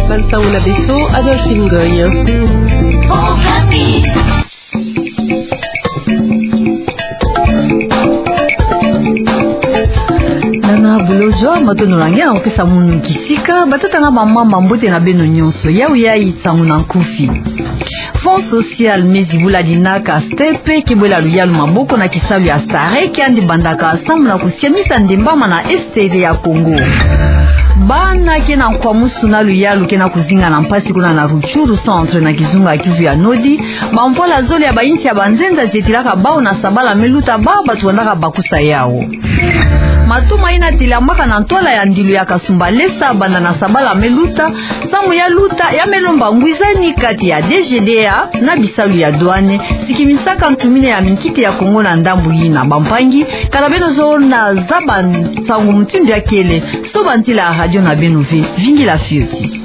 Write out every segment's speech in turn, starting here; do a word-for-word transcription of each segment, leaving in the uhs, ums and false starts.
Bansango na beto, Adolphine Ngoy. Nana Bulojo, matondo na nge na kopesa munu kisika, batata na bamama, mbote na beno nyonso. Yau yai nsangu na nkufi. Fonds social me zibula dinaka STEP ke bwela luyalu maboko na kisalu ya STAREC, yandi bandaka samu na kusiamisa ndembama na Est ya Congo. Bana ke na nkwamusu na luyalu ke na kuzinga na mpasi kuna na Rutshuru centre na kizunga Kivu ya Nord, bamvwala zole ya bainsi ya banzenza zetilaka bau na sabala me luta, bau batu bandaka bakusa yau. Matoma ina telamaka na ntwala ya ndilu ya Kasumbalesa banda na sabala me luta, samu ya luta ya me lomba ngwizani kati ya D G D A na bisalu ya douane, sikimisaka ntumina ya minkiti ya Congo na ndambu yina. Bampangi, kala beno zo na zaba nsangu mutindu ya kele, soba ntila radio na beno ve, vingila fioti.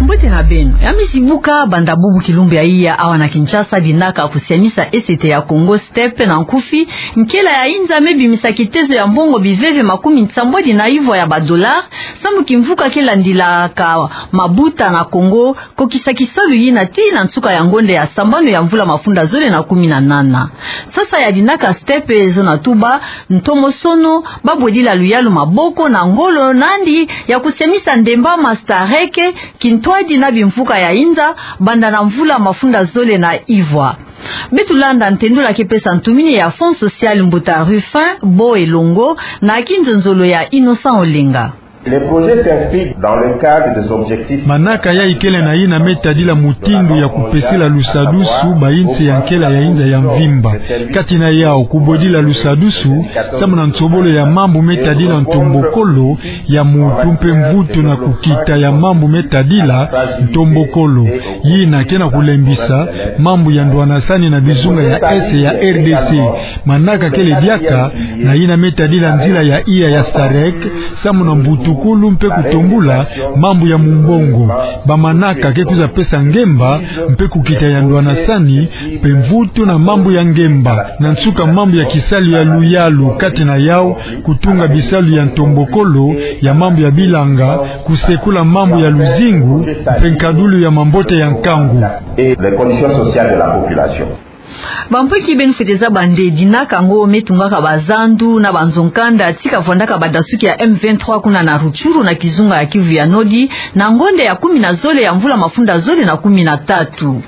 Mbote na beno. Ya me zibuka banda bubu kilumbu ya iya awa na Kinshasa, dinaka kusiamisa Est ya Congo, STEP na nkufi, nkela ya inza me bimisa kitezo ya mbongo biveve makumi nsambwadi na ivwa ya ba dollars, samu kimvuka ke landilaka mabuta na Congo kokisa kisalu yina tii na nsuka ya ngonda ya sambanu ya mvula mafunda zole na kumi na nana. Sasa ya dinaka STEP zo na tuba, ntomosono, babwedila luyalu maboko na ngolo nandi ya kusiamisa ndembama STAREC, kintwadi na bimvuka ya inza, banda na mvula mafunda zole na ivwa. Beto landa ntendula ke pesa ntumini ya Fonds social, mbuta Rufin Bo Elongo, na kinzonzolo ya Innocent Olenga. Le projet s'inscrit dans le cadre des objectifs. Manaka yai kele na yina me tadila mutindu ya kupesila lusadusu bainsi ya nkela ya inza ya mvimba. Kati na yau, kubwedila lusadusu samu na nsobolo ya mambu me tadila ntombokolo ya mutu mpe mvutu na kukita ya mambu me tadila ntombokolo. Yina ke na kulembisa mambu ya ndwanasani na bizunga ya Est ya R D C. Manaka kele diaka na yina me tadila nzila ya iya ya STAREC, samu na mbutukulu mpe kutombula mambu ya mumbongo. Bamanaka ke kwiza pesa ngemba mpe kukita ya ndwanasani mpe mvutu na mambu ya ngemba. Na nsuka, mambu ya kisalu ya luyalu, kati na yau kutunga bisalu ya ntombokolo ya mambu ya bilanga, kusekula mambu ya luzingu mpe nkadulu ya mambote ya nkangu. Et les conditions sociales de la population. Bampoki, beno fwete zaba nde dinaka ngo me tungaka bazandu na banzo-nkanda ti kavwandaka badasuki ya M vingt-trois kuna na Rutshuru na kizunga ya Kivu ya Nord, na ngonda ya kumi na zole ya mvula mafunda zole na kumi na tatu.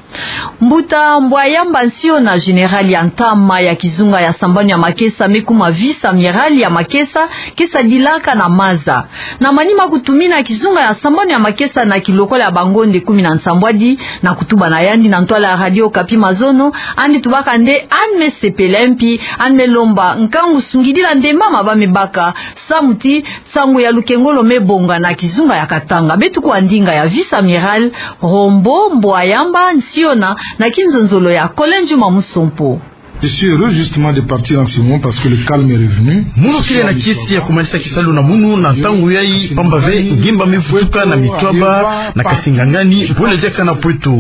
Mbuta Mbwayamba Nsiona, général ya ntama ya kizunga ya sambanu ya makesa, me kuma vice-amiral ya makesa, ke sadilaka na maza. Na manima kutumina kizunga ya sambanu ya makesa na kilokola ya bangonda kumi na nsambwadi, na kutuba na yandi na ntwala ya Radio Okapi mazono, yandi tubaka nde yandi me sepela, mpi yandi me lomba nkangu sungidila ndembama ba me baka, samu ti nsangu ya lukengolo me bonga na kizunga ya Katanga. Beto kua ndinga ya vice-amiral Rombo Mbwayamba Nsiona na kinzonzolo ya Colin Juma Musompo. Je suis heureux justement de partir en ce moment parce que le calme est revenu. Munu kele na kisi ya kumanisa kisalu na munu na ntangu yai, pamba ve ngemba me vutuka na mitwaba na Kasingangani, bole diaka na Pweto.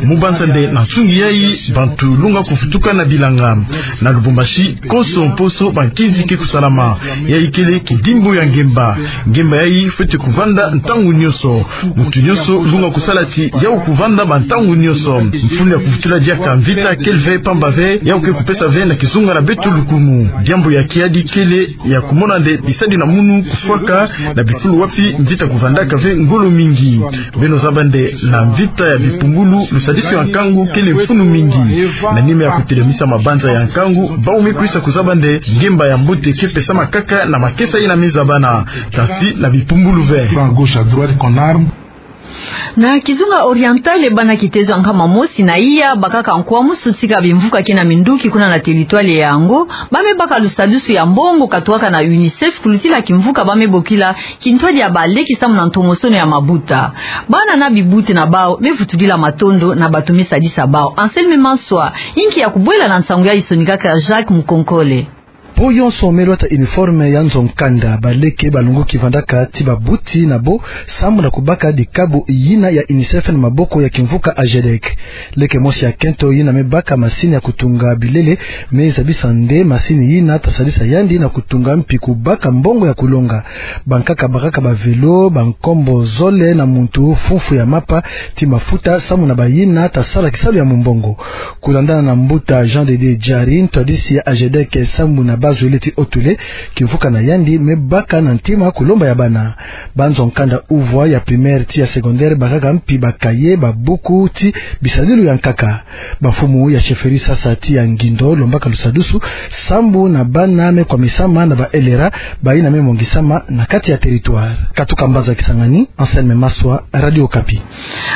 Mu banza nde na nsungi yai, bantu lunga kuvutuka na bilanga. Na Lubumbashi, konso mposo bankinzi ke kusalama. Yai kele kidimbu ya ngemba. Ngemba yai fwete kuvanda ntangu nyonso. Muntu nyonso lunga kusala ti yau kuvanda bantangu nyonso. Mfunu ya kuvutula diaka mvita kele ve, pamba ve yau ke kupesa ve na kizunga na beto lukumu. Diambu ya kiadi kele ya kumona nde bisadi na munu kufwaka na bifulu wapi mvita kuvandaka ve ngolo mingi. Beno zaba nde na mvita ya bipumbulu, lusadisu ya nkangu kele mfunu mingi. Na nima ya kutelemisa mabanza ya nkangu, bau me kwisa kuzaba nde ngemba ya mbote ke pesama kaka na makesa yina me zabana, kasi na bipumbulu ve. Prend à gauche, à droite, qu'on arme. Na kizunga Oriental, bana kitezo ya nkama mosi na iya bakaka nkwamusu tika bimvuka ke na minduki kuna na territoire yango, ba me baka lusadusu ya mbongo katuaka na UNICEF kulutila kimvuka ba me bokila kintwadi ya baleki samu na ntomosono ya mabuta. Bana na bibute na bau me vutudila matondo na bato me sadisa bau. Anselme Manswa, inki ya kubwela na nsangu yai sonikaka Jacques Mukonkole. Po yonso me lwata uniforme ya nzo-nkanda, baleke balunguki vandaka ti babuti na bo, sambu na kubaka dikabu yina ya UNICEF na maboko ya kimvuka AGEDEC. Leke mosi ya kento yina me baka masini ya kutunga bilele, me zabisa nde masini yina ta sadisa yandi na kutunga mpi kubaka mbongo ya kulonga. Bankaka bakaka ba vélo, bankombo zole na muntu, fufulu ya mapa, ti mafuta, sambu na bayina ta sala kisalu ya mumbongo. Kulandana na mbuta Jean de Dieu Diary, ntwadisi ya AGEDEC sambu na bazwele ti Haut-Uele, kimvuka na yandi me baka na ntima kulomba ya bana. Banzo-nkanda uvwa ya primaire ti ya secondaire bakaka mpi bakaye, babuku ti bisadilu ya nkaka. Bamfumu ya chefferie Sasa ti ya Ngindo lombaka lusadusu sambu na bana me kwamisama na ba LRA, bayina me mongisama na kati ya territoire. Katuka mbanza Kisangani, Anselme Maswa, Radio Okapi.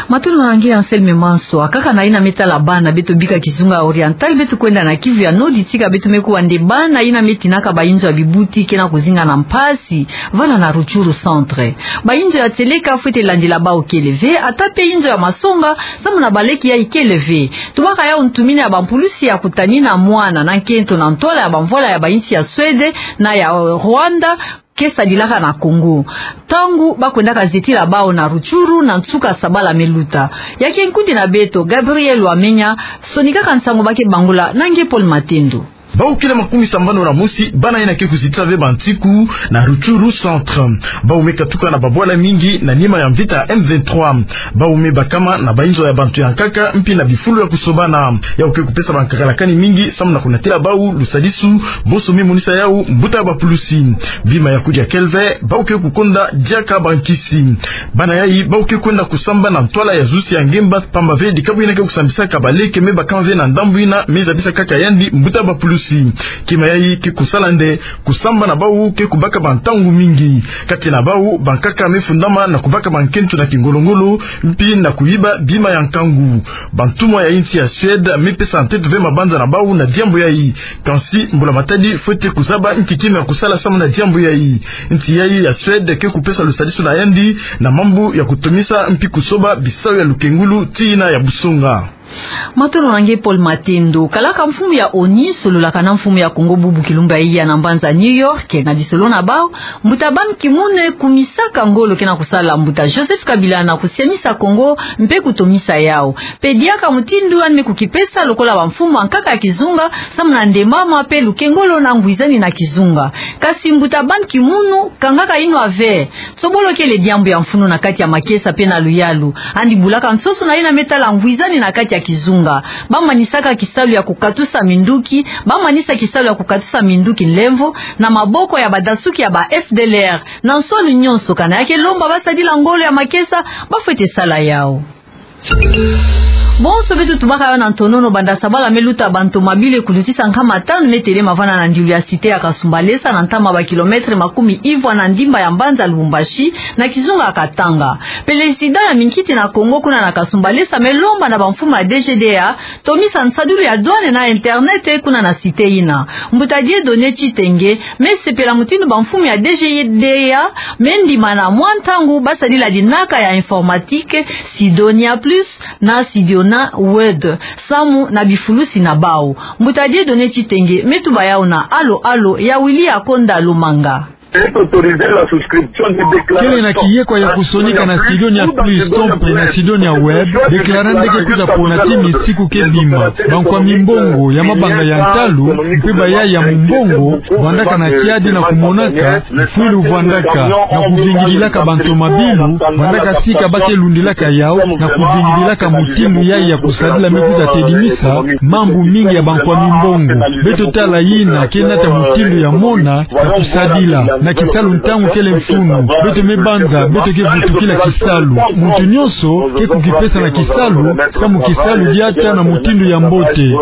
Matondo na nge Anselme Maswa. Kaka na yina me tala bana, beto bika kizunga oriental, beto kwenda na Kivu ya Nord, tika beto me kuwa nde bana yina me tinaka bainzo ya bibuti ke na kuzinga na mpasi, vana na Rutshuru centre. Bainzo ya tieleka fwete landila bau kele ve, ata pe inzo ya masonga, sambu na baleke yayi kele ve. Tubaka yau ntumini ya bampulusi ya kutanina mwana na nkento na ntwala ya bamvwala ya bainsi ya Suède na ya, eh, Rwanda, ke sadilaka na Congo. Ntangu bakwendaka zetila bau na Rutshuru na nsuka sabala me luta. Ya ke nkundi na beto, Gabriel Wamenya, sonikaka nsangu ba ke bangula na nge Paul Matendo. Bau kele makumi sambanu na mosi, bana yina ke kuzetila ve bantiku na Rutshuru centre. Bau me katuka na babwala mingi na nima ya mvita ya M vingt-trois. Bau me bakama na bainzo ya bantu ya nkaka, mpi na bifulu ya kusobana. Yau ke kupesa bankakalakani mingi, sambu na kunatila bau lusadisu, bonso me monisa yau mbuta bapulusi. Bima ya kudia kele ve, bau ke kukonda diaka bankisi. Bana yayi, bau ke kwenda kusamba na ntwala ya zusi ya ngemba, pamba ve dikabu yina ke kusambisaka baleke me bakama ve na ndambu yina me zabisa kaka yandi mbuta bapulusi. Kima yayi ke kusala nde, kusamba na bau ke kubaka bantangu mingi. Kati na bau, bankaka me fundama na kubaka bankento na kingolo-ngolo, mpi na kuyiba bima ya nkangu. Bantumwa ya insi ya Suède me pesa ntete ve mabanza na bau na diambu yayi. Kansi, mbula-matadi fwete kuzaba nki kima ya kusala sambu na diambu yayi. Insi yayi ya Suède ke kupesa lusadisu na yandi na mambu ya kutomisa mpi kusoba bisalu ya lukengulu ti yina ya busonga. Matondo na nge Paul Matendo. Kalaka mfumu ya ONU sololaka na mfumu ya Congo bubu kilumbu yayi na mbanza New York, na lisolo na bau, mbuta Ban Ki-moon kumisaka ngolo ke na kusala mbuta Joseph Kabila na kusiamisa Congo mpe kutomisa yau. Pe diaka mutindu yandi me kukipesa lokola bamfumu ya nkaka ya kizunga, sambu na ndembama pe lukengolo na ngwizani na kizunga. Kasi mbuta Ban Ki-moon kangaka inwa ve. Tsobolo kele diambu ya mfunu na kati ya makesa pe na luyalu. Yandi bulaka nsoso na yina me tala ngwizani na kati ya kizunga. Bamanisaka kisalu ya kukatusa minduki, bamanisa kisalu ya kukatusa minduki nlemvo, na maboko ya badasuki ya ba F D L R. Na nsoni nyonso, kana ya ke lomba basadila ngolo ya makesa, bafwete sala yau. Bonso beto tubaka yau na ntonono, banda sabala me luta bantomabilu kulutisa nkama tanu me telema vana na ndilu ya cité ya Kasumbalesa na ntama ba kilomètre makumi ivwa na ndimba ya mbanza Lubumbashi, na kizunga ya Katanga. Pelezida ya minkiti na Congo kuna na Kasumbalesa me lomba na bamfumu ya D G D A tomisa nsadulu ya douane na internet kuna na cité yina. Mbuta Dieudonné Tshitenge me sepela mutindu bamfumu ya D G D A me ndimana mwa ntangu basadila dinaka ya informatique, Sidonia Plus na Sidiona Word, samu na bifulusi na bau. Mbuta Dieudonné Tshitenge me tuba yau na Alo Alo ya Willy Akonda Lumanga. Kele na kiyekwa ya kusonika na Sidonia Plus to mpe na Sidonia Web, déclarant nde ke kuta pona ti misiku ke bima. Bankwa mimbongo ya mabanga ya ntalu, mpe bayayi ya mumbongo, vandaka na tiadi na kumonaka mfwilu vandaka, na kuvingililaka bantomabilu, vandaka sika ba ke lundilaka yau, na kuvingililaka mutindu yayi ya kusadila me kuta tedimisa mambu mingi ya bankwa mimbongo. Beto tala yina ke nata mutindu ya mona ya kusadila, na kisalu ntangu kele mfunu. Beto me banza beto ke vutukila kisalu. Muntu nyonso ke kukipesa na kisalu, samu kisalu diata na mutindu ya mbote.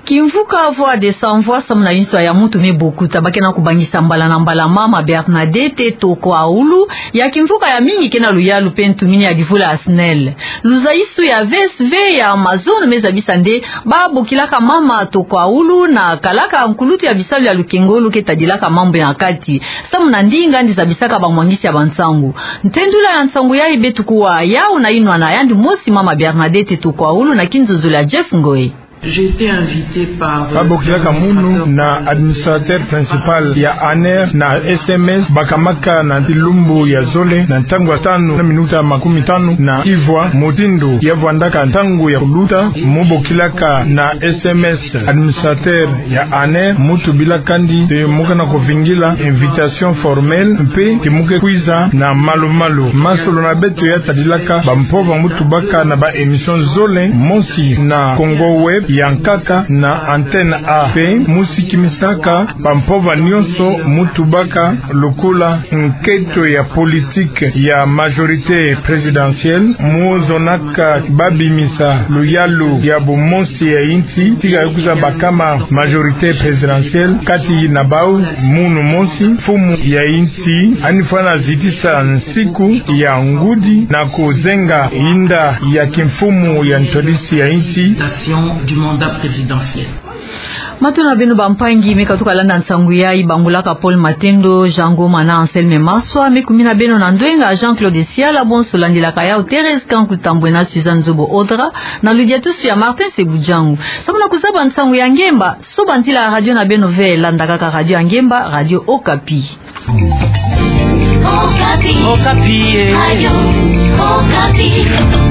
Kimvuka Voix des Sans Voix samu na inswa ya muntu me bokuta, ba ke na kubangisa mbala na mbala mama Bernadette Tokwaulu, ya kimvuka ya mingi ke na luyalu mpe ntumini ya livula ya SNEL. Luzaisu ya V S V ya mazono me zabisa nde ba bokilaka mama Tokwaulu na kalaka nkulutu ya bisalu ya lukengolo ke tadilaka mambu ya kati, samu na ndinga yandi zabisaka bamwangisi ya bansangu. Ntendula ya nsangu yayi beto kuwa yau na inwa na yandi mosi mama Bernadette Tokwaulu na kinzonzolo ya Jeff Ngoi. J'ai été invité par, euh, Babokilaka munu na administrateur principal ya ANR na S M S, bakamaka na lumbu ya zole na ntangu ya tanu na minuta makumi tanu na ivwa, mutindu ya vwandaka ntangu ya kuluta. Mu bokilaka na S M S administrateur ya ANR, mu tubilaka ndi te mu ke na kuvingila invitation formelle mpe te mu ke kwiza na malu-malu. Masolo na beto ya tadilaka bampova mu tubaka na ba émission zole, mosi na Congo Web, ya nkaka na Antenne A. Mpe mu sikimisaka bampova nyonso mu tubaka lokola nketo ya politique ya majorité présidentielle, mu zonaka babimisa luyalu ya bumosi ya insi, tika ya kwiza bakama majorité présidentielle. Kati na bau, munu mosi, mfumu ya insi, yandi fwana zitisa nsiku ya ngudi na kuzenga inda ya kimfumu ya ntwadisi ya insi. Du mandat présidentiel. Mato na beno bampangi, me katuka landa nsangu yayi bangulaka Paul Matendo, Jean Ngoma na Anselme Maswa, me kumina beno na ndwenga Jean-Claude Siala. Bonso landilaka yawu Thérèse Kanku Tambwe na Suzanne Zobo Odra, na ludiatusu ya Martin Sebudjangu. Samu na kuzaba nsangu ya ngemba, soba ntila radio na beno ve, landa kaka radio ya ngemba, Radio Okapi. Okapi. Okapi, eh. Radio Okapi.